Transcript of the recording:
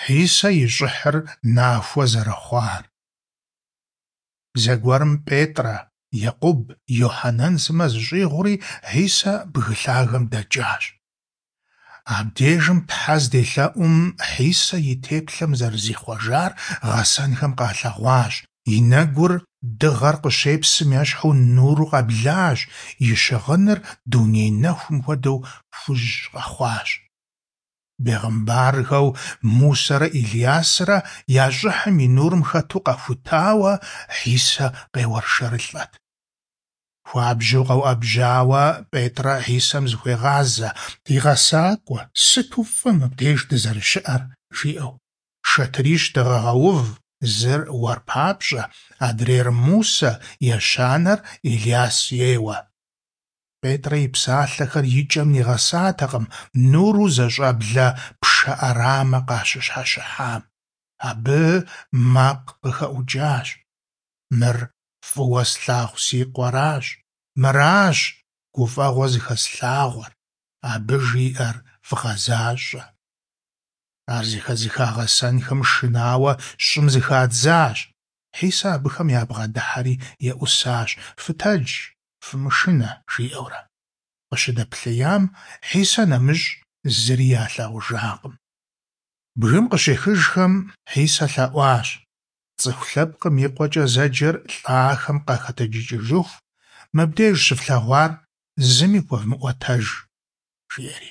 Хьисэ и щӀыхьыр нахуэ зэрыхъуар. Зэгуэрым Петӏрэ, Екъуб, Йохьэнэн сымэ зыщӀигъури, Хьисэ бгы лъагэм дэкӀащ. Абдежым Тхьэ зделъэӀум, Хьисэ и теплъэм зэрызихъуэжар гъэсэнхэм къалъэгъуащ, и нэгур дыгъэр къыщепсым ещхьу нуру къэблащ, и щыгъыныр дуней нэхум хуэдэу хужь къэхъуащ. Бегъымбархэу Мусэрэ Илясрэ я щӀыхьым и нурым хэту къэхутауэ, Хьисэ къеуэршэрылӀэт. Хуабжьу къэуӀэбжьауэ Петӏрэ Хьисэм зыхуегъазэ: «Ди гъэсакӀуэ, сыту фӀы мыбдеж дызэрыщыӀэр!» жиӀэу. «Шэтырищ дыгъэгъэув, зыр уэр папщӀэ, адрейр Мусэ, ещанэр Иляс ейуэ». Петӏрэ и псалъэхэр и кӀэм нигъэсатэкъым нуру зэщӀэблэ пшэ Ӏэрамэ къащыщхьэщыхьам. Абы макъ къыхэӀукӀащ: «Мыр фӀыуэ слъагъу си Къуэращ, мыращ гуфӀэгъуэ зыхэслъагъуэр, абы жиӀэр вгъэзащӀэ». Ар зэхэзыха гъэсэнхэм шынауэ щӀым зыхадзащ. Хьисэ абыхэм ябгъэдыхьэри еӀусащ: «Фытэдж, фымышынэ», жиӀэурэ. Къыщыдэплъеям, Хьисэ нэмыщӀ зыри ялъагъужакъым. Бгым къыщехыжхэм, Хьисэ лъэӀуащ: «ЦӀыху лъэпкъым и къуэкӀэ зэджэр лӀахэм къахэтэджыкӀыжыху, мыбдеж щыфлъэгъуар зыми хуэвмыӀуэтэж», жиӀэри.